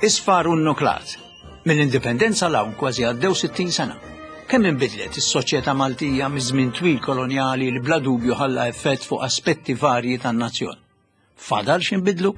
Isfar u nnuklat. Mill-Indipendenza 'l hawn kważi għaddew 60 sena. Kemm inbidlet is-soċjetà Maltija miż-żmien twil kolonjali li bla dubju ħalla effett fuq aspetti varji tan-nazzjon. Fadal x'inbidlu?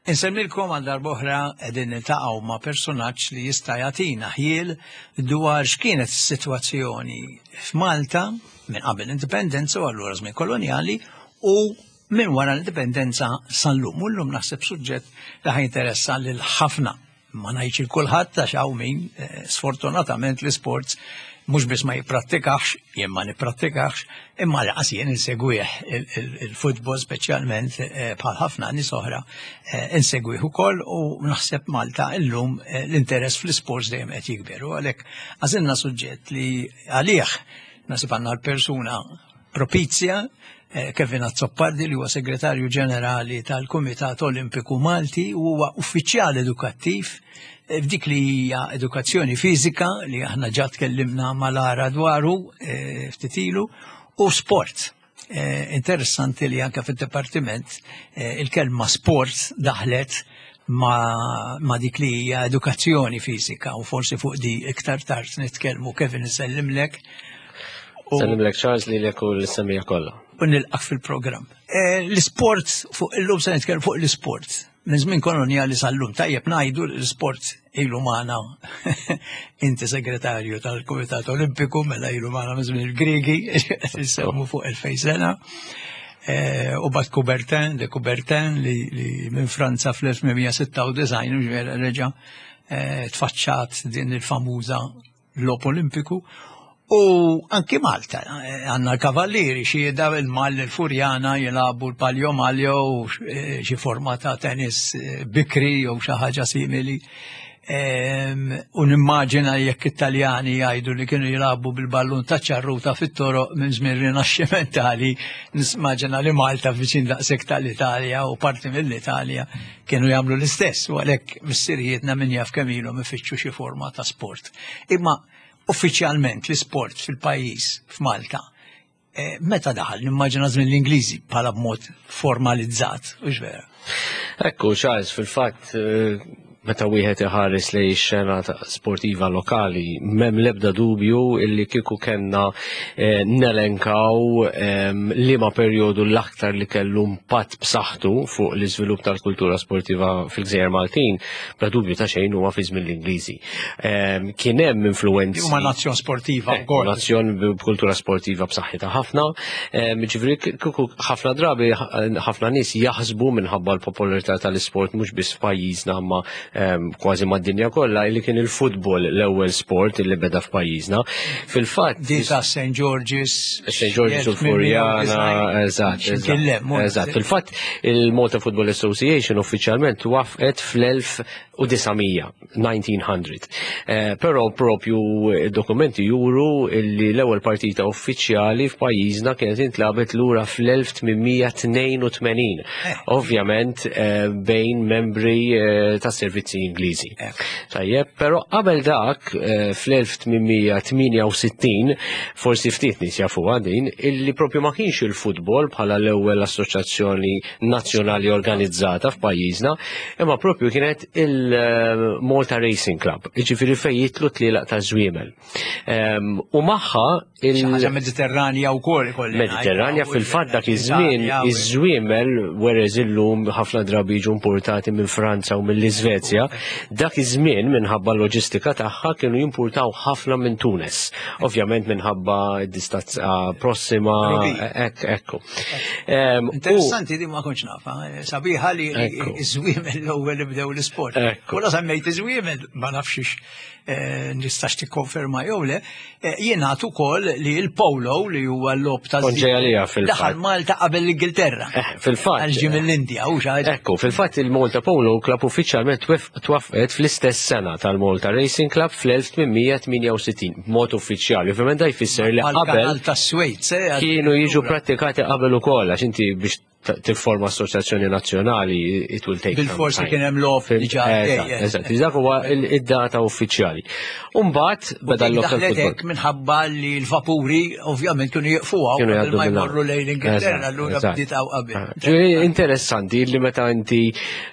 Insemmilkom għal darb'oħra qegħdin niltaqgħu ma' personaġġ li jista' jagħtina ħjiel dwar x'kienet is-sitwazzjoni f'Malta minn qabel l-indipendenza u allura żmien kolonjali u minn wara l-indipendenza sal-lum. U llum naħseb suġġett li ħajinteressa lil ħafna ma ngħidx il kulħadd għax hawn min eh, sfortunatament l-isports mhux biss ma jipprattikax, jien ma nipprattikax, imma laqas jien insegwih il-futbol speċjalment eh, bħal ħafna nies oħra eh, insegwih ukoll u naħseb Malta illum l-interess fl-isports dejjem qed jikber u għalhekk għażilna suġġett li għalih nasib għandna l-persuna propizja eh, Kevin Azzopardi li huwa segretarju ġenerali tal-Kumitat Olimpiku Malti u huwa uffiċjal edukattiv eh, f'dik li hija edukazzjoni fiżika li aħna ġa tkellimna mal-ara dwaru eh, ftit ilu u sport. Interessanti li anke fid-dipartiment il-kelma sport daħlet ma, ma dik li hija edukazzjoni fiżika u forsi fuq di iktar tard nitkellmu Kevin isellimlek. Sellimlek Charles li lek u l-semija kollha. U nilqak fil-programm. Eh, l-isport fuq illum se nitkellmu fuq l-isport. Minn żmien kolonjali sal-lum tajjeb ngħidu l-isport ilu magħna inti segretarju tal-Kumitat Olimpiku mela ilu magħna minn żmien il-Griegi, semmu fuq 2000 sena. Eh, u bat Coubertin, de Coubertin li, li minn Franza fl-1896 ġvera reġa eh, tfaċċat din il-famuża lop Olimpiku. U anki Malta, eh, għanna l-kavallieri xieda il-Mal il-Furjana jilabu l-Palio Maljo u xi forma ta' tennis bikri jew xi ħaġa simili. U nimmaġina jekk it-Taljani jgħidu li kienu jilagħbu bil-ballun ta' ċarruta fit-toroq minn żmien rinaxximentali, nismaġina li Malta viċin daqshekk tal-Italja u parti mill-Italja kienu jagħmlu l-istess u għalhekk missirijietna min jaf kemm ilhom ifittxu xi forma ta' sport. Imma uffiċjalment l-isport fil-pajjiż f'Malta Eh, meta daħal, nimmaġina żmien l-Ingliżi bħala b'mod formalizzat, u vera. Ekku, Charles, fil-fatt, eh, meta wieħed iħares li xena sportiva lokali, mem lebda dubju illi kieku kellna eh, nelenkaw ehm, liema perjodu l-aktar li kellu impatt b'saħħtu fuq l-iżvilupp tal-kultura sportiva fil-Gżejjer Maltin, bla dubju ta' xejn huwa fi żmien l-Ingliżi. Ehm, kien hemm influenzi. Huma nazzjon sportiva eh, wkoll. Nazzjon b'kultura sportiva b'saħħitha ħafna. Ehm, ġifieri kieku ħafna drabi ħafna nies jaħsbu minħabba l-popolarità tal-isport mhux biss f'pajjiżna imma ehm, kważi mad-dinja kollha li kien il-futbol l-ewwel sport li beda f'pajjiżna. Fil-fatt. Di ta' St. George's. St. George's u Furjana, eżatt. Eżatt. Fil-fatt il-Malta Football Association uffiċjalment wafqet fl-1900. 1900. Eh, però propju dokumenti juru li l-ewwel partita uffiċjali f'pajjiżna kienet intlabet lura fl-1882. Eh. Ovvjament eh, bejn membri ta' servizzi Ingliżi. Tajjeb, però qabel dak fl-1868 forsi ftit nies jafuha din illi propju ma kienx il-futbol bħala l-ewwel assoċjazzjoni nazzjonali organizzata f'pajjiżna, imma propju kienet il-Malta Racing Club, jiġifieri fejn jitlu tlielaq ta' żwiemel. Ehm, u magħha il ħaġa Mediterranja wkoll ikolli. Mediterranja fil-fatt dak iż-żmien iż-żwiemel whereas illum ħafna drabi jiġu importati minn Franza u mill-Iżvezja, dak iż-żmien minħabba l-loġistika tagħha kienu jimpurtaw ħafna minn Tunes. Ovvjament minħabba d-distanza prossima, ekk ekku. Interessanti di ma kontx nafa, eh, sabiħa li iż-żwiemel l-ewwel li bdew l-isport. U la semmejt iż-żwiemel ma nafx eh, nistax tikkonferma jew le, eh, jingħad ukoll li l-polo li huwa l-lob ta' daħal Malta qabel l-Ingilterra. Fil-fatt. Għal ġie mill-Indja u xi Ekku, fil-fatt il-Malta Polo Club uffiċjalment twaffqet fl-istess sena tal-Malta Racing Club fl-1868 b'mod uffiċjali. Ovvjament da jfisser li qabel tas-Swejds eh, kienu jiġu prattikati qabel ukoll għax inti biex tifforma assoċjazzjoni nazzjonali, it will take. Bil-forsi kien hemm logħob diġà. Eżatt, dak huwa id-data uffiċjali. Umbagħad beda l-local football. Minħabba li l-vapuri ovvjament kienu jiqfuha kienu jgħaddu ma jmorru lejn l-Ingilterra allura bdiet hawn qabel. Ah, interessanti li meta inti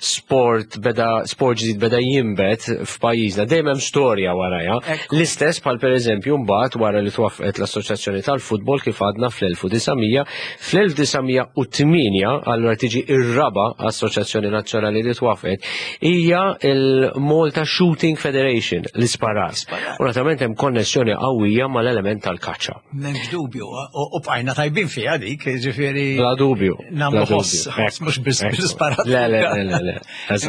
sport beda sport ġdid beda jinbet f'pajjiżna dejjem hemm storja warajha. L-istess bħal pereżempju mbagħad wara li twaffqet l-Assoċjazzjoni tal-Futbol kif għadna fl-1900 fl-1908 allura tiġi ir-raba' assoċjazzjoni nazzjonali li twaffqet hija il-Malta Shooting Federation l-isparar. U naturalment hemm konnessjoni qawwija mal-element tal-kaċċa. M'hemmx dubju, u bqajna tajbin fiha dik, ġifieri. Bla dubju. Nagħmlu ħoss, mhux biss bil-sparat. Le, le, le, le.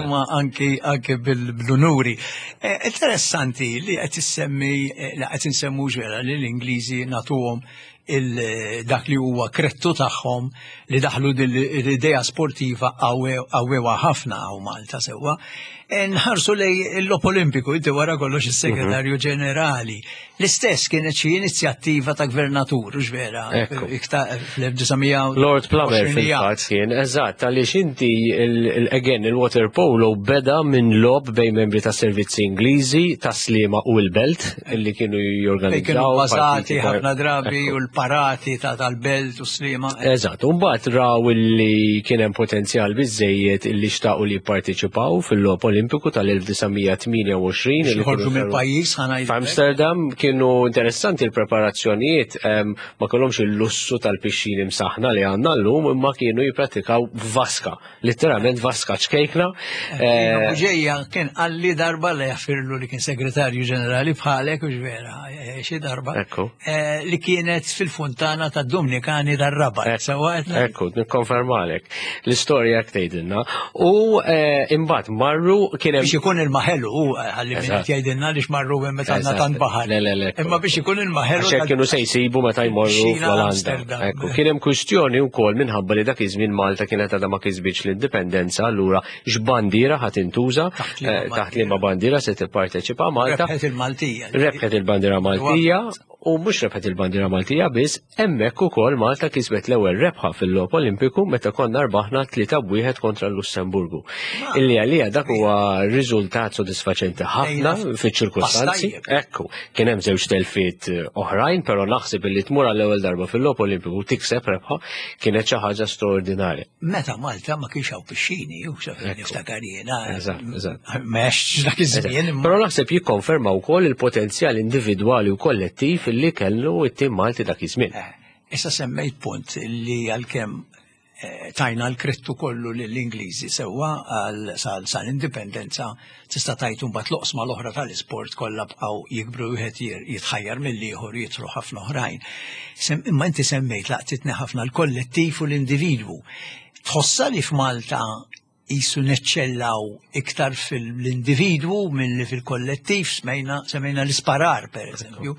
Imma anki anki bil-unuri. Eh, interessanti li qed issemmi eh, li qed insemmu ġera li l-Ingliżi nagħtuhom dak li huwa krettu tagħhom li daħlu l-idea sportiva qawwewa ħafna hawn Malta sewwa. E, nħarsu lej l-Lop Olimpiku, inti wara kollox is-Segretarju mhm. Ġenerali. L-istess kienet xi inizjattiva ta' gvernatur, u vera, fl-1900. Lord Plummer fil-fatt kien, eżatt, għaliex inti again il-water polo beda minn lob bejn membri ta' servizzi Ingliżi, ta' Sliema u l-Belt, illi kienu jorganizzaw. Kienu bazati ħafna drabi u l-parati ta' tal-Belt u Sliema. Eżatt, u mbagħad raw illi kien hemm potenzjal biżejjed illi xtaqu li jipparteċipaw fil-logħob Olimpiku tal-1928. Li ħorġu mill-pajjiż ħana F'Amsterdam kienu interessanti l-preparazzjonijiet ma kellhomx il-lussu tal-pixxini msaħna li għandna llum imma kienu jippratikaw vaska, letteralment vaska ċkejkna. Eh, ġejja kien qalli darba li jaffirlu li kien segretarju ġenerali bħalek u vera, eh, xi darba. Eh, li kienet fil-funtana ta' Dominikani dar-Rabat. Ekku, nikkonfermalek. L-istorja tgħidilna. U eh, imbagħad marru kien hemm. Biex ikun il-maħelu, ħalli min qed jgħidilna li xmarru minn meta għandna tant baħar. Le, le, le. Imma biex ikun il-maħelu. Għax kienu se jsibu meta jmorru fl-Olanda. Ekku, kien hemm kwistjoni wkoll minħabba li dak iż-żmien Malta kienet għadha ma kisbitx l-indipendenza, allura x'bandiera ħadd intuża eh, taħt liema bandiera se tipparteċipa Malta. Rebħet il-Maltija. Rebħet il-bandiera Maltija u mhux rebħet il-bandiera Maltija biss, hemmhekk ukoll Malta kisbet l-ewwel rebħa fil-logħob Olimpiku meta konna rbaħna 3-1 kontra l-Lussemburgu. Ah. Illi għalija dak huwa riżultat sodisfaċenti ħafna fiċ-ċirkustanzi. Ekku, kien hemm żewġ telfiet eh, oħrajn, però naħseb illi tmur għall-ewwel darba fil-logħob Olimpiku tikseb rebħa kienet xi ħaġa straordinarja. Meta Malta ma kienx hawn pixxini, u sa fejn niftakar jiena. Eżatt, eżatt. M'għex dak iż-żmien. Però naħseb jikkonferma wkoll il-potenzjal individwali u kollettiv li kellu t-tim Malti dak iż-żmien. Eh, issa semmejt punt li għalkemm eh, tajna l-krettu kollu lill-Ingliżi sewwa għal sal-indipendenza tista' tgħid imbagħad l-oqsma l-oħra tal-isport kollha bqgħu jikbru wieħed jitħajjar mill-ieħor jidħlu ħafna oħrajn. Imma inti semmejt laqtitni ħafna l-kollettiv u l-individwu. Tħossha li f'Malta jisu neċċellaw iktar fil-individwu milli fil-kollettiv, smejna semmejna l-isparar per eżempju.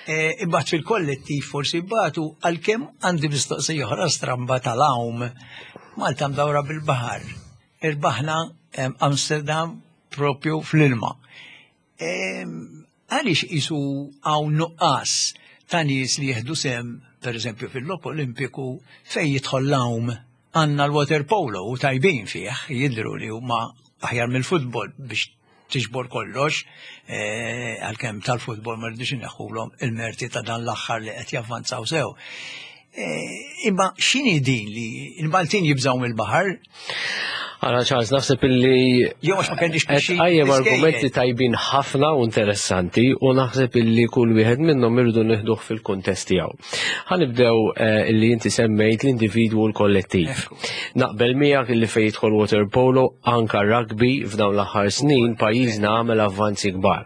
E, imbagħad fil-kollettiv forsi batu għalkemm għandi mistoqsija oħra stramba tal-għawm. Malta mdawra bil-baħar. Irbaħna Amsterdam propju fl-ilma. Għaliex isu hawn nuqqas ta' nies li jieħdu sem, per eżempju fil-logħob Olimpiku fejn jidħol l-għawm għandna l-water polo u tajbin fih, jidhru li huma aħjar mill-futbol biex tiġbor kollox, eh, għalkemm tal-futbol ma rridux inneħħulhom il-merti ta' dan l-aħħar li qed javvanzaw sew. Eh, imma x'inhi din li l-Maltin jibżgħu mill-baħar? Għala Charles, naħseb illi. Jew għax ma kellix biex. Għajjem argumenti tajbin ħafna u interessanti u naħseb illi kull wieħed minnhom irridu nieħduh fil-kuntest tiegħu. Ħanibdew eh, illi inti semmejt l-individwu u l-kollettiv. Naqbel miegħek illi fejn jidħol water polo anka rugby f'dawn l-aħħar snin pajjiżna għamel avvanzi kbar.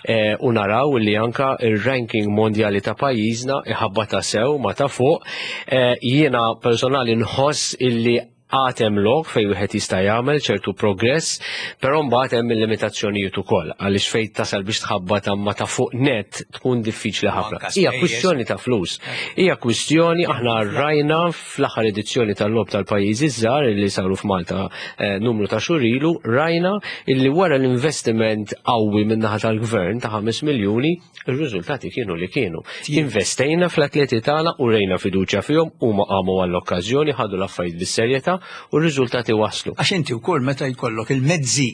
Eh, u naraw li anka ir-ranking mondjali ta' pajjiżna iħabbata sew ma ta' fuq. Eh, jiena personali nħoss illi għad hemm lok fejn wieħed jista' jagħmel ċertu progress, però mbagħad hemm il-limitazzjonijiet ukoll għaliex fejn tasal biex tħabbat ma ta' fuq net tkun diffiċli ħafna. Hija kwistjoni ta' flus. Hija kwistjoni aħna rajna fl-aħħar edizzjoni tal-logħob tal-pajjiżi żgħar li saru f'Malta eh, numru ta' xhur ilu, rajna illi wara l-investiment qawwi min-naħa tal-gvern ta' 5 miljuni, ir-riżultati kienu li kienu. Investejna fl-atleti tagħna u rejna fiduċja fihom huma qamu għall-okkażjoni, ħadu l-affarijiet bis-serjetà. u r-riżultati waslu. Għax inti wkoll meta jkollok il-mezzi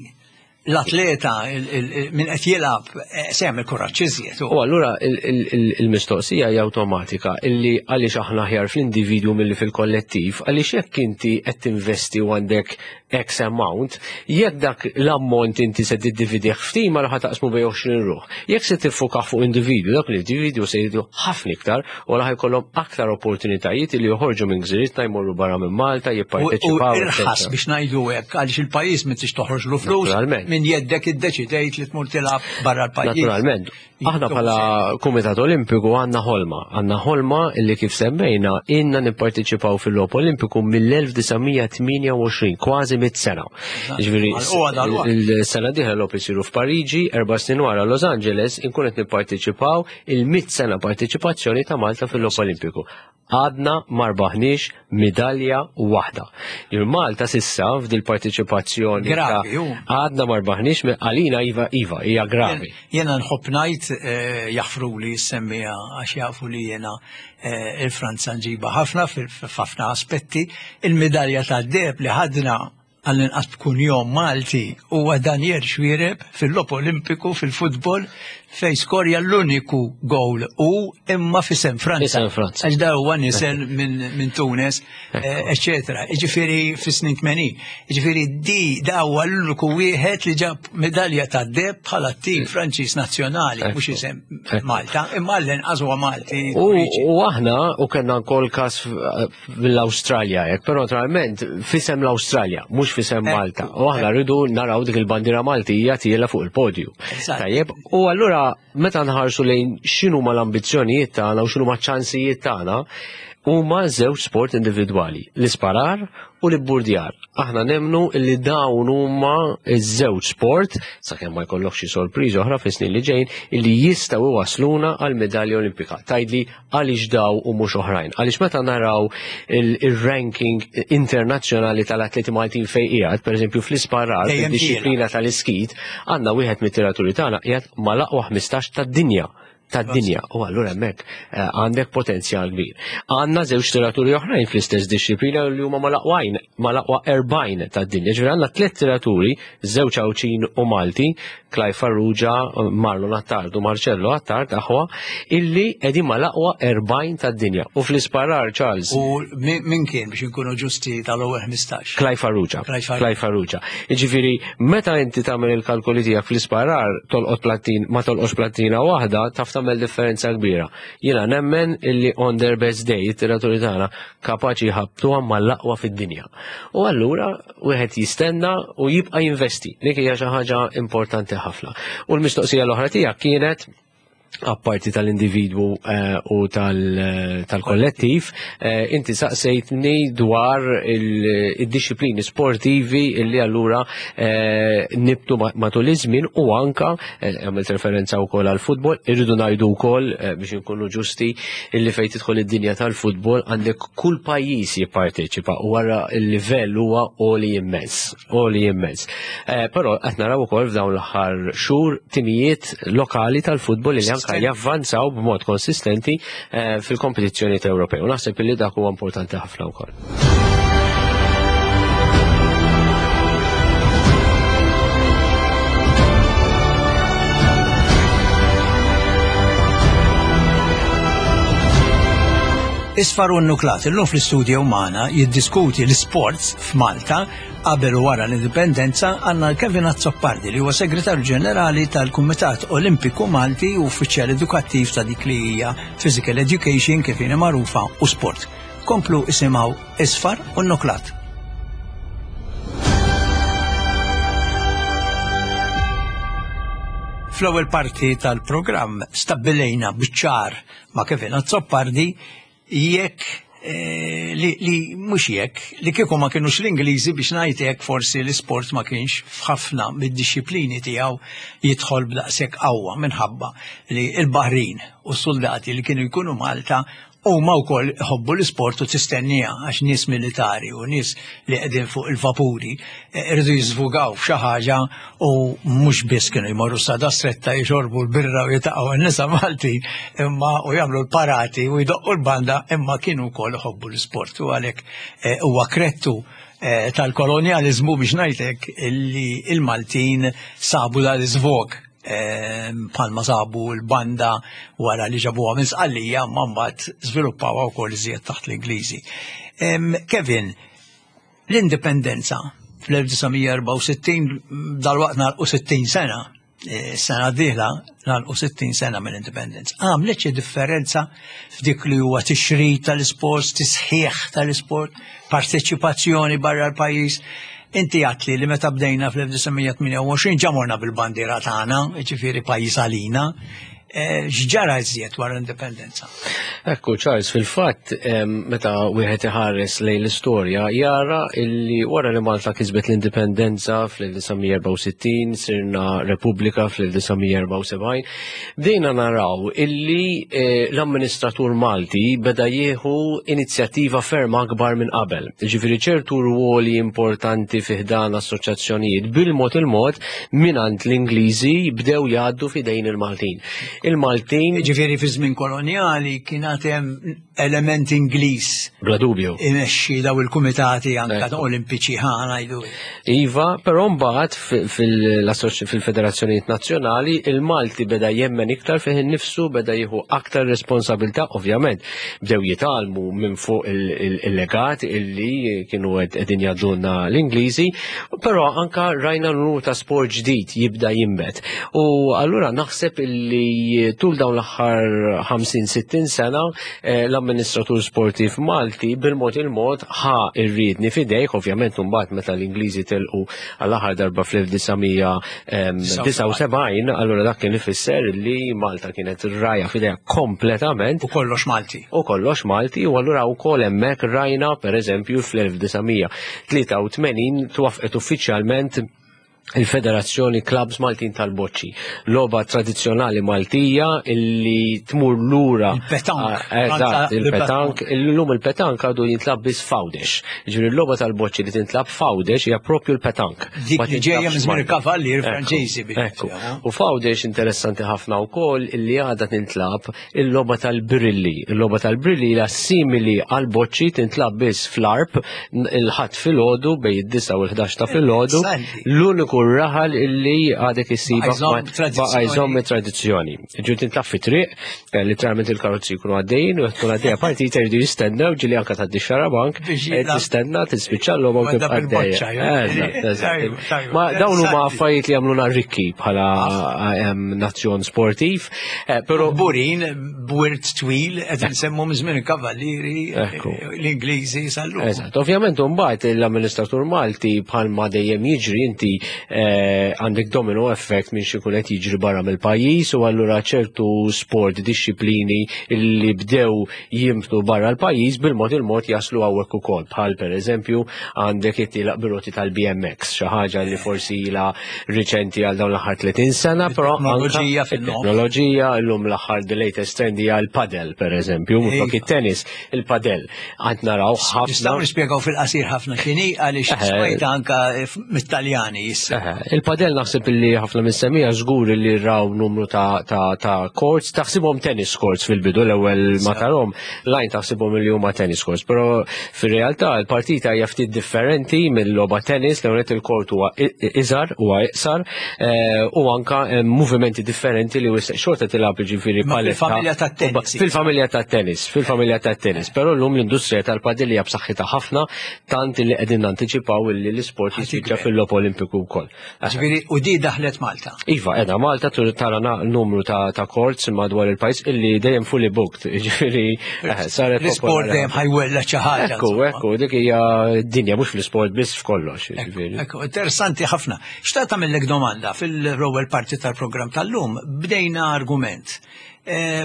l-atleta min qed jilgħab eh, se jagħmel kuraġġ iżjed. U allura il-mistoqsija hija awtomatika illi għaliex aħna aħjar fl-individwu milli fil-kollettiv, għaliex jekk inti qed tinvesti u għandek X amount, jekk dak l-ammont inti se tiddividih f'tim għal taqsmu bej 20 ruħ. Jekk se tiffoka fuq individwu, dak l-individwu se jridu ħafna iktar u għal ħajkollhom aktar opportunitajiet li joħorġu minn gżiritna jmorru barra minn Malta, jipparteċipaw. U irħas biex ngħidu hekk għaliex il-pajjiż m'intix toħroġlu flus minn jeddek iddeċidejt li tmur tilgħab barra l-pajjiż. Naturalment. Aħna bħala Kumitat Olimpiku għandna ħolma, għandna ħolma li kif semmejna inna nipparteċipaw fil-Logħob Olimpiku mill-1928, kważi mit sena. Ġifieri il-sena dieħla logħob isiru f'Pariġi, erba' snin wara Los Angeles, inkun qed nipparteċipaw il-mit sena parteċipazzjoni ta' Malta fil-Logħob Olimpiku. Għadna ma rbaħniex midalja waħda. Il-Malta sissa f'dil parteċipazzjoni Gravi, għadna ma rbaħniex għalina iva iva hija gravi. Jena nħobb ngħid eh, jaħfru li semmija għax jafu li jena eh, il-Franza nġiba ħafna f'ħafna aspetti il-midalja tad-deheb li ħadna għall-inqas b'kunjom Malti huwa Daniel Xuereb fil-Logħob Olimpiku fil-futbol fejn skorja l-uniku gowl u imma f'isem Franza. Isem Franza. Għax da huwa nisel minn min Tunes, eccetera. Ġifieri fis-snin 80. Ġifieri di da huwa l-uniku wieħed li ġab medalja ta' deb bħala tim Franċiż nazzjonali, mhux isem Malta, imma l-inqas huwa Malti. U aħna u kellna wkoll każ mill-Awstralja hekk, però naturalment fisem l-Awstralja, mhux fisem Malta. U aħna rridu naraw dik il-bandiera Maltija tiela fuq il-podju. Tajjeb, u allura meta nħarsu lejn x'inhuma l-ambizzjonijiet tagħna u x'inhuma ċ-ċansijiet tagħna, huma żewġ sport individwali, l-isparar u l-ibburdjar. Aħna nemnu li dawn huma ż-żewġ sport, sakemm ma jkollok xi sorpriża oħra fis-snin li ġejjin, illi jistgħu iwasluna għal medalja Olimpika. Tgħidli għaliex daw u mhux oħrajn. Għaliex meta naraw il-ranking internazzjonali tal-atleti Maltin fejn qiegħed, pereżempju fl-isparar, fid-dixxiplina tal-iskit, għandna wieħed mit-tiraturi tagħna qiegħed mal-aqwa 15 tad-dinja tad-dinja u allura hemmhekk eh, għandek potenzjal kbir. Għandna żewġ tiraturi oħrajn fl-istess dixxiplina li huma mal-aqwajn, mal-aqwa 40 tad-dinja. Ġifieri għandna tliet tiraturi, żewġ Għawdxin u Malti, Clive Farrugia, Marlon Attard u Marcello Attard aħwa illi qegħdin mal-aqwa 40 tad-dinja. U fl-isparar Charles. U min kien biex inkunu ġusti tal-ewwel 15? Clive Farrugia. Clive Farrugia. Jiġifieri meta inti tagħmel il-kalkoli tiegħek fl-isparar tolqot plattin ma tolqotx plattina waħda taf tagħmel differenza kbira. Jiena nemmen illi on their best day it-tiraturi tagħna kapaċi jħabbtuha mal-aqwa fid-dinja. U allura wieħed jistenna u jibqa' jinvesti. Dik hija xi ħaġa importanti ħafna. U l-mistoqsija l-oħra tiegħek kienet apparti tal-individwu eh, u tal-kollettiv, eh, inti saqsejtni dwar il-disciplini sportivi illi allura eh, nibtu matul iż-żmien u anka għamilt referenza wkoll għall-futbol, irridu ngħidu wkoll biex inkunu ġusti illi fejn tidħol id-dinja tal-futbol għandek kull pajjiż jipparteċipa u wara l-livell huwa għoli immens, għoli immens. Eh, però qed naraw ukoll f'dawn l-aħħar xhur timijiet lokali tal-futbol li anke javvanzaw b'mod konsistenti eh, fil-kompetizzjonijiet Ewropej. U naħseb illi dak huwa importanti ħafna wkoll. Isfar u Nuklat illum fl-istudju magħna jiddiskuti l-sports f'Malta qabel u wara l-indipendenza għandna Kevin Azzopardi li huwa segretarju ġenerali tal-Kumitat Olimpiku Malti u uffiċjal edukattiv ta' dik li hija Physical Education kif inhi magħrufa u sport. Komplu isimgħu Isfar u Nuklat. Fl-ewwel parti tal-programm stabbilejna biċ-ċar ma' Kevin Azzopardi jekk eh, li, li mhux jekk li kieku ma kinux l-Ingliżi biex ngħid hekk forsi l-isport ma kienx f'ħafna mid-dixxiplini tiegħu jidħol b'daqshekk qawwa minħabba li l-Baħrin u s-soldati li kienu jkunu Malta Huma wkoll iħobbu l-isport u tistenniha għax nies militari u nies li qegħdin fuq il-vapuri eh, irridu jiżvugaw f'xi ħaġa u mhux biss kienu jmorru sada stretta jixorbu l-birra u jitaqgħu n-nisa Malti imma u jagħmlu l-parati u jdoqqu l-banda imma kienu wkoll iħobbu l-isport u għalhekk eh, huwa krettu. tal-kolonjaliżmu biex ngħidlek li il-Maltin sabu dal-iżvog bħalma sabu l-banda wara li ġabuha minn Sqallija ma mbagħad żviluppawha wkoll iżjed taħt l-Ingliżi. Kevin, l-indipendenza fl-1964 dalwaqt nagħlqu 60 sena, sena d-dieħla nagħlqu 60 sena mill-indipendenza. Għamlet xi differenza f'dik li huwa tixrid tal-isport, tisħiħ tal-isport, parteċipazzjoni barra l-pajjiż. Inti għatli li meta bdejna fl-1928 ġa morna bil-bandiera tagħna, ġifieri pajjiż għalina. X'ġara iżjed wara l-indipendenza? Ekku, Charles, fil-fatt, meta wieħed iħares lejn l-istorja, jara illi wara li Malta kisbet l-indipendenza fl-1964, sirna Repubblika fl-1974, bdejna naraw illi l-amministratur Malti beda jieħu inizjattiva ferm akbar minn qabel. Ġifieri ċertu rwoli importanti fi ħdan assoċjazzjonijiet bil-mod il-mod mingħand l-Ingliżi bdew jgħaddu f'idejn il-Maltin. Il-Maltin. Ġifieri fi żmien kolonjali kien hemm element Ingliż. Bla dubju. Imexxi daw il-kumitati anka olimpiċi ħa ngħidu. Iva, però mbagħad fil-federazzjonijiet nazzjonali il-Malti beda jemmen iktar fih innifsu, beda jieħu aktar responsabilità, ovvjament. Bdew jitgħallmu minn fuq il-legat illi kienu qegħdin jgħaddulna l-Ingliżi, però anka rajna numru ta' sport ġdid jibda jinbet. U allura naħseb illi tul dawn l-aħħar 50-60 sena l-amministratur sportiv Malti bil-mod il-mod ħa ir-riedni f'idejh, ovvjament mbagħad meta l-Ingliżi telqu għall-aħħar darba fl-1979, allura dak kien ifisser li Malta kienet rajja f'idejha kompletament. U kollox Malti. U kollox Malti, u allura wkoll hemmhekk rajna pereżempju fl-1983 twafqet uffiċjalment il-Federazzjoni Clubs Maltin tal-Boċċi. Logħba tradizzjonali Maltija illi tmur lura. Il-petank. Eżatt, il-petank. Illum il-petank għadu jintlab biss f'Għawdex. Ġifieri l-logħba tal-boċċi li tintlab f'Għawdex hija propju l-petank. Dik li ġejja minn żmien il-kavallier Franċiżi. Ekku. U f'Għawdex interessanti ħafna wkoll illi għadha tintlab il-logħba tal-brilli. Il-logħba tal-brilli hija simili għal boċċi tintlab biss fl-arp il-ħadd filgħodu bejn id-9 u l-11 ta' filgħodu. L-uniku raħal illi għadek issiba baqa' jżomm it-tradizzjoni. Ġifieri tintlab fi triq, literalment il-karozzi jkunu għaddejjin u tkun għaddejja partita jridu jistennew ġieli anke tgħaddi xarabank, tistenna tispiċċa l-logħba u tibqa' għaddejja. Ma dawn huma affarijiet li jagħmluna rikki bħala nazzjon sportiv. Però Burin b'wirt twil qed insemmu minn żmien il-Kavallieri l-Ingliżi sal-lum. Eżatt, ovvjament imbagħad l-amministratur Malti bħalma dejjem jiġri inti għandek domino effect minn xi jkun qed jiġri barra mill-pajjiż u allura ċertu sport dixxiplini li bdew jinbtu barra l-pajjiż bil-mod il-mod jaslu hawnhekk ukoll bħal pereżempju għandek it-tielaq bir-roti tal-BMX, xi ħaġa li forsi ilha riċenti għal dawn l-aħħar 30 sena, però teknoloġija fin-nofs. Teknoloġija llum l-aħħar the latest trend hija l-padel pereżempju, mhux flok it-tennis, il-padel. Għad naraw ħafna. Nistgħu nispjegaw fil-qasir ħafna x'inhi għaliex smajta anka mit-Taljani issa. Il-padel naħseb illi ħafna mis-semija żgur li raw numru ta' courts, taħsibhom tennis courts fil-bidu l-ewwel ma tarhom, lajn taħsibhom li huma tennis courts, però fir-realtà l-partita hija ftit differenti mill-logħba tennis, l ewwel il-court huwa iżgħar, huwa iqsar, u anka movimenti differenti li xorta tilgħab jiġifieri paletta. Fil-familja tat-tennis. Fil-familja tat-tennis, fil-familja tat-tennis, però llum l-industrija tal-padel hija b'saħħitha ħafna tant li qegħdin nantiċipaw illi l-isport jispiċċa fil-logħob Olimpiku wkoll. Ġifieri u di daħlet Malta. Iva, qiegħda Malta tara numru ta' courts madwar il-pajjiż illi dejjem fully booked. Ġifieri saret L-isport dejjem ħajwella xi ħaġa. Ekku, ekku, dik hija dinja mhux fl-isport biss f'kollox. Ekku, interessanti ħafna. Xtaqt tagħmellek domanda fil-ewwel parti tal-programm tal-lum bdejna argument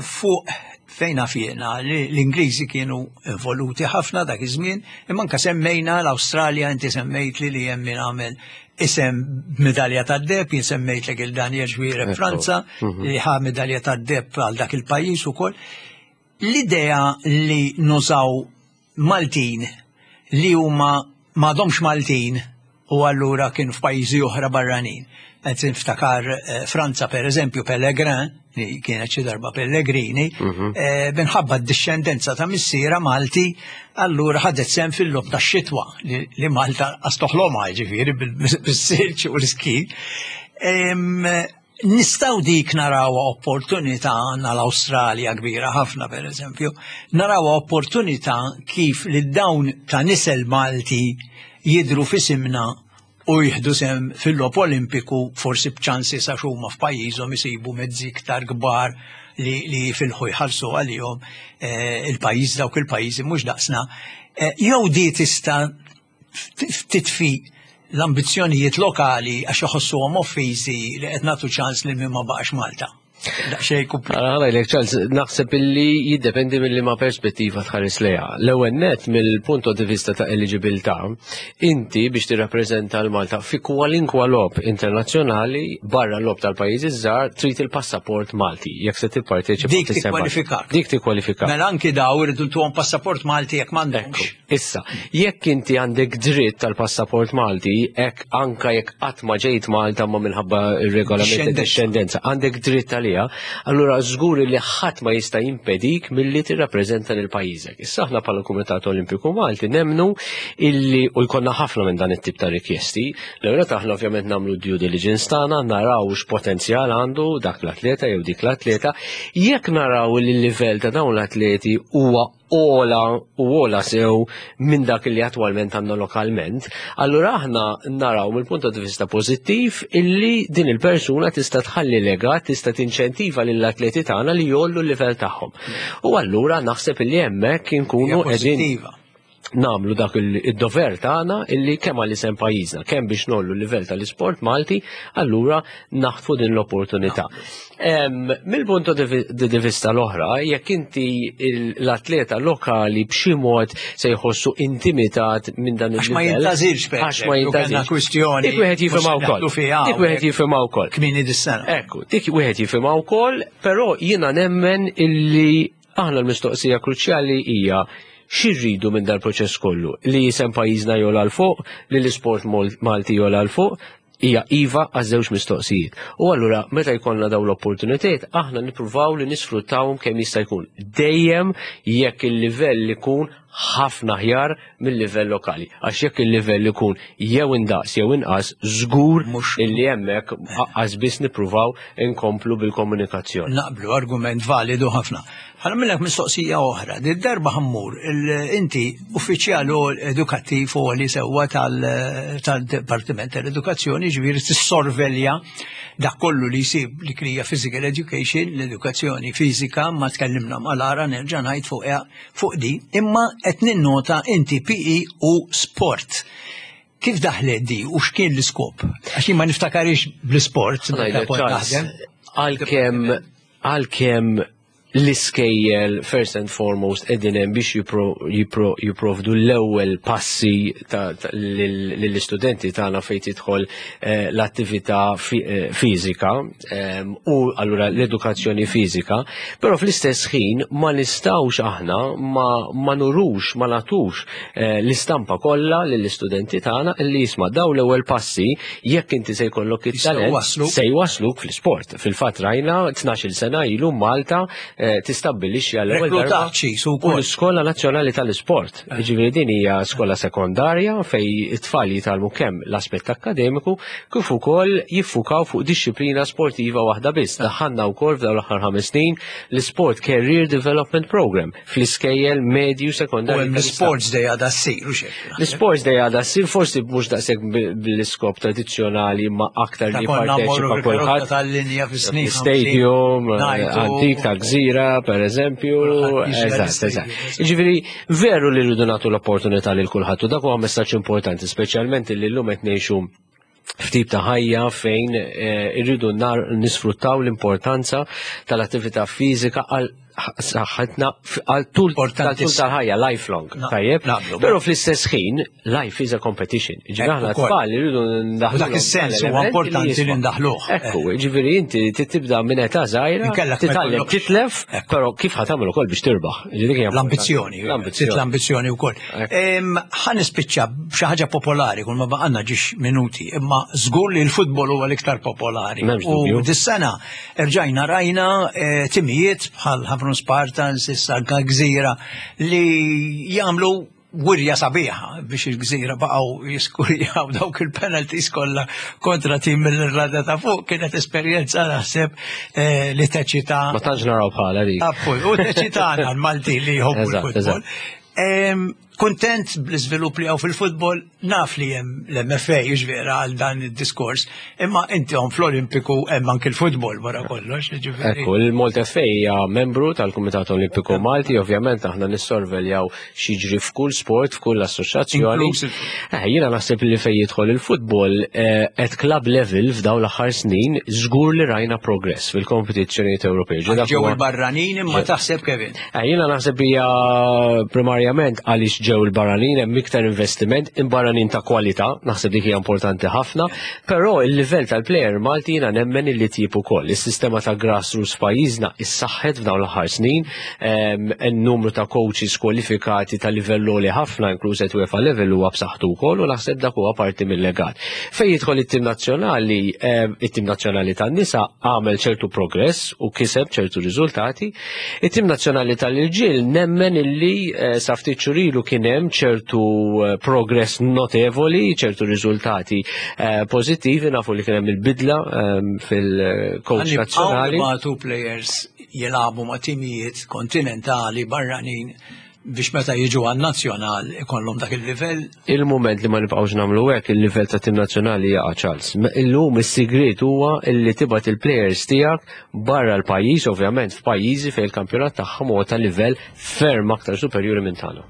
fuq fejn naf jiena li l-Ingliżi kienu involuti ħafna dak iż-żmien, imma anke semmejna l-Awstralja, inti semmejt li li hemm min għamel isem medalja tad-deheb, jien semmejtlek il-Daniel Xwire Franza li ħa medalja tad-deheb għal dak il-pajjiż ukoll. L-idea li nużaw Maltin li huma m'għadhomx Maltin u allura kienu f'pajjiżi oħra barranin. Qed niftakar Franza per eżempju Pellegrin, li kienet xi darba Pellegrini, minħabba d-dixxendenza ta' missiera Malti, allura ħadet sehem fil-logħob tax-xitwa li Malta qas toħlomha ġifieri bis-silġ u l-iski. Nistgħu dik narawha opportunità għandna l-Awstralja kbira ħafna per eżempju, narawha opportunità kif li dawn ta' nisel Malti jidru f'isimna u jieħdu sehem fil-logħob Olimpiku forsi b'ċansi sa huma f'pajjiżhom isibu mezzi iktar kbar li jifilħu jħallsu għalihom il-pajjiż dawk il-pajjiżi mhux daqsna. Jew di tista' titfi l-ambizzjonijiet lokali għax iħossuhom offiżi li qed nagħtu ċans lil min ma baqax Malta. Daqsxejn kumplikat. Ara ngħidlek Charles, naħseb illi jiddependi mill ma perspettiva tħares lejha. L-ewwel net mill-punto di vista ta' eliġibilità, inti biex tirrappreżenta l-Malta fi kwalinkwa logħob internazzjonali barra l-logħob tal-pajjiżi żgħar trid il-passaport Malti jekk se tipparteċipa. Dik tikkwalifikak. Dik tikkwalifikak. Mela anki daw iridu ntuhom passaport Malti jekk m'għandhomx. Issa, jekk inti għandek dritt tal-passaport Malti, hekk anka jekk qatt ma ġejt Malta ma minħabba ir-regolament ta' dixxendenza, għandek dritt għaliha, allura żgur li ħadd ma jista' jimpedik milli tirrappreżenta lil pajjiżek. Issa aħna bħala Kumitat Olimpiku Malti nemmnu illi u jkollna ħafna minn dan it-tip ta' rikjesti. L-ewwel aħna ovvjament nagħmlu due diligence tagħna, naraw x'potenzjal għandu dak l-atleta jew dik l-atleta. Jekk naraw li l-livell ta' dawn l-atleti huwa ogħla u ogħla sew minn dak li attwalment għandna lokalment, allura aħna naraw mill-punt di vista pożittiv illi din il-persuna tista' tħalli legat, tista' tinċentiva lill-atleti tagħna li jgħollu l-livell tagħhom. U allura naħseb illi hemmhekk inkunu qegħdin nagħmlu dak id-dover tagħna illi kemm għal isem pajjiżna, kemm biex ngħollu l-livell tal-isport Malti, allura naħtfu din l-opportunità. Mill-punto di vista l-oħra, jekk inti l-atleta lokali b'xi mod se jħossu intimidat minn dan il Għax ma jintażilx, għax ma jintażilx. Kwistjoni. Dik wieħed jifhimha wkoll. Dik wieħed jifhimha wkoll. Kmieni dis-sena. Ekku, dik wieħed jifhimha wkoll, però jiena nemmen illi aħna l-mistoqsija kruċjali hija x'irridu minn dal-proċess kollu li jisem pajjiżna jogħla 'l fuq, li l-isport Malti jogħla 'l fuq, hija iva għaż-żewġ mistoqsijiet. U allura meta jkollna dawn l-opportunitajiet aħna nippruvaw li nisfruttawhom kemm jista' jkun. Dejjem jekk il-livell ikun ħafna aħjar mill-livell lokali. Għax jekk il-livell ikun jew indaqs jew inqas, żgur illi hemmhekk aqqas biss nippruvaw inkomplu bil-komunikazzjoni. Naqblu, argument validu ħafna. Ħa nagħmillek mistoqsija oħra. Did-darba ħa mmur, inti uffiċjal edukattiv u li sewwa tal-Dipartiment tal-Edukazzjoni, ġifieri tissorvelja dak kollu li jsib li krija physical education, l-edukazzjoni fiżika, ma tkellimna mal-ara nerġa' ngħid fuq di, imma qed ninnota inti PE u sport. Kif daħlet di u x'kien l-iskop? Għax ma niftakarix bl-isport. Għalkemm l-iskejjel first and foremost qegħdin hemm biex jipprovdu l-ewwel passi lill-istudenti tagħna fejn tidħol l-attività fiżika u allura l-edukazzjoni fiżika, però fl-istess ħin ma nistgħux aħna ma nurux, ma nagħtux l-istampa kollha lill-istudenti tagħna li jisma' daw l-ewwel passi jekk inti se jkollok it-talent se jwasluk fl-isport. Fil-fatt rajna 12 sena ilu Malta tistabbilixxi għall-ewwel darba u l-Iskola Nazzjonali tal-Isport. Ġifieri din hija skola sekondarja fej it-tfal jitgħallmu kemm l-aspett akkademiku kif ukoll jiffukaw fuq dixxiplina sportiva waħda biss. Daħħalna wkoll f'dawn l-aħħar 5 snin l-Sport Career Development Program fl-iskejjel medju sekondarju. U l-Sports Day għadha ssir u xejn. L-Sports Day għadha ssir forsi mhux daqshekk bl-iskop tradizzjonali ma aktar li jipparteċipa kulħadd. Tal-linja fis-snin. Stadium, antik ta' Gżira, per eżempju. Eżatt, eżatt. Jiġifieri veru li rridu nagħtu l-opportunità lil kulħadd u dak huwa messaġġ importanti, speċjalment li llum qed ngħixu f'tip ta' ħajja fejn irridu nisfruttaw l-importanza tal-attività fiżika għal saħħitna għal tul tal-ħajja, lifelong. Tajjeb? Però fl-istess ħin, life is a competition. Ġifieri aħna tfal irridu ndaħlu. Dak is-sens huwa importanti li ndaħluh. Ekku, ġifieri inti tibda minn età żgħira, titgħallem titlef, però kif ħa tagħmel ukoll biex tirbaħ. L-ambizzjoni, l-ambizzjoni wkoll. Ħa nispiċċa b'xi ħaġa popolari kull ma baqgħalna ġiex minuti, imma żgur li l-futbol huwa l-iktar popolari. U dis-sena rġajna rajna eh, timijiet bħal Ħamrun Spartans, issa anka Gżira li jagħmlu wirja sabiħa biex il-gżira baqgħu jiskurjaw dawk il-penalties kollha kontra tim mill-Irlanda ta' fuq kienet esperjenza naħseb eh, li teċita. Ma tantx naraw bħala dik. Appunt, u teċitana l-Malti li jħobbu l-futbol. Kuntent bl-iżvilupp li hawn fil-futbol, naf li hemm l-MFA vera għal dan id-diskors, imma inti hawn fl-Olimpiku hemm anki l-futbol wara kollox, jiġifieri. Ekku, il-Malta FA hija membru tal-Kumitat Olimpiku Malti, ovvjament aħna nissorveljaw x'jiġri f'kull sport, f'kull assoċjazzjoni. Eh, jiena naħseb li fejn jidħol il-futbol eh, at club level f'dawn l-aħħar snin żgur li rajna progress fil-kompetizzjonijiet Ewropej. Ġew il-barranin imma taħseb Kevin. Eh, jiena naħseb hija primarjament għaliex ġew il-barranin hemm iktar investiment, imbarranin ta' kwalità, naħseb dik hija importanti ħafna, però il-livell tal-plejer Malti jiena nemmen illi tjib ukoll. Is-sistema ta' grassroots f'pajjiżna issaħħet f'dawn l-aħħar snin, ehm, n-numru ta' coaches kwalifikati ta' livell għoli ħafna inkluż qed UEFA level huwa b'saħħtu wkoll u naħseb dak huwa parti mill-legat. Fejn jidħol it-tim nazzjonali, ehm, it-tim nazzjonali tan-nisa għamel ċertu progress u kiseb ċertu riżultati, It-tim nazzjonali tal-irġiel nemmen illi eh, sa ftit xhur ilu kien hemm ċertu eh, progress notevoli, ċertu riżultati eh, pożittivi, nafu li kien hemm il-bidla ehm, fil-coach nazzjonali. Għanni players jilagħbu ma' timijiet kontinentali barranin biex meta jiġu għan nazzjonal ikollhom dak il-livell. Il-moment li ma nibqgħux nagħmlu hekk il-livell ta' tim nazzjonali jaqa' Charles. Illum is-sigriet huwa li tibgħat il-players tiegħek barra l-pajjiż, ovvjament f'pajjiżi fejn il-kampjonat tagħhom huwa ta' livell ferm aktar superjuri minn tagħna.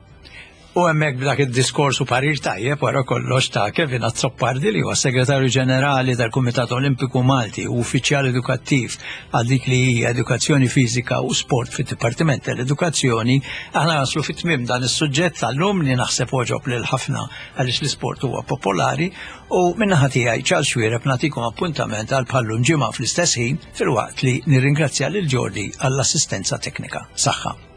U hemmhekk b'dak id-diskors u parir tajjeb wara kollox ta' Kevin Azzopardi li huwa Segretarju Ġenerali tal-Kumitat Olimpiku Malti u uffiċjal edukattiv għal dik li hija edukazzjoni fiżika u sport fid-Dipartiment tal-Edukazzjoni, aħna naslu fit-tmiem dan is-suġġett tal-lum li naħseb għoġob lil ħafna għaliex l-isport huwa popolari u min-naħa tiegħi Charles Xuereb nagħtikom appuntament għal bħallum ġimgħa fl-istess ħin filwaqt li nirringrazzja lil Jordi għall-assistenza teknika. Saħħa.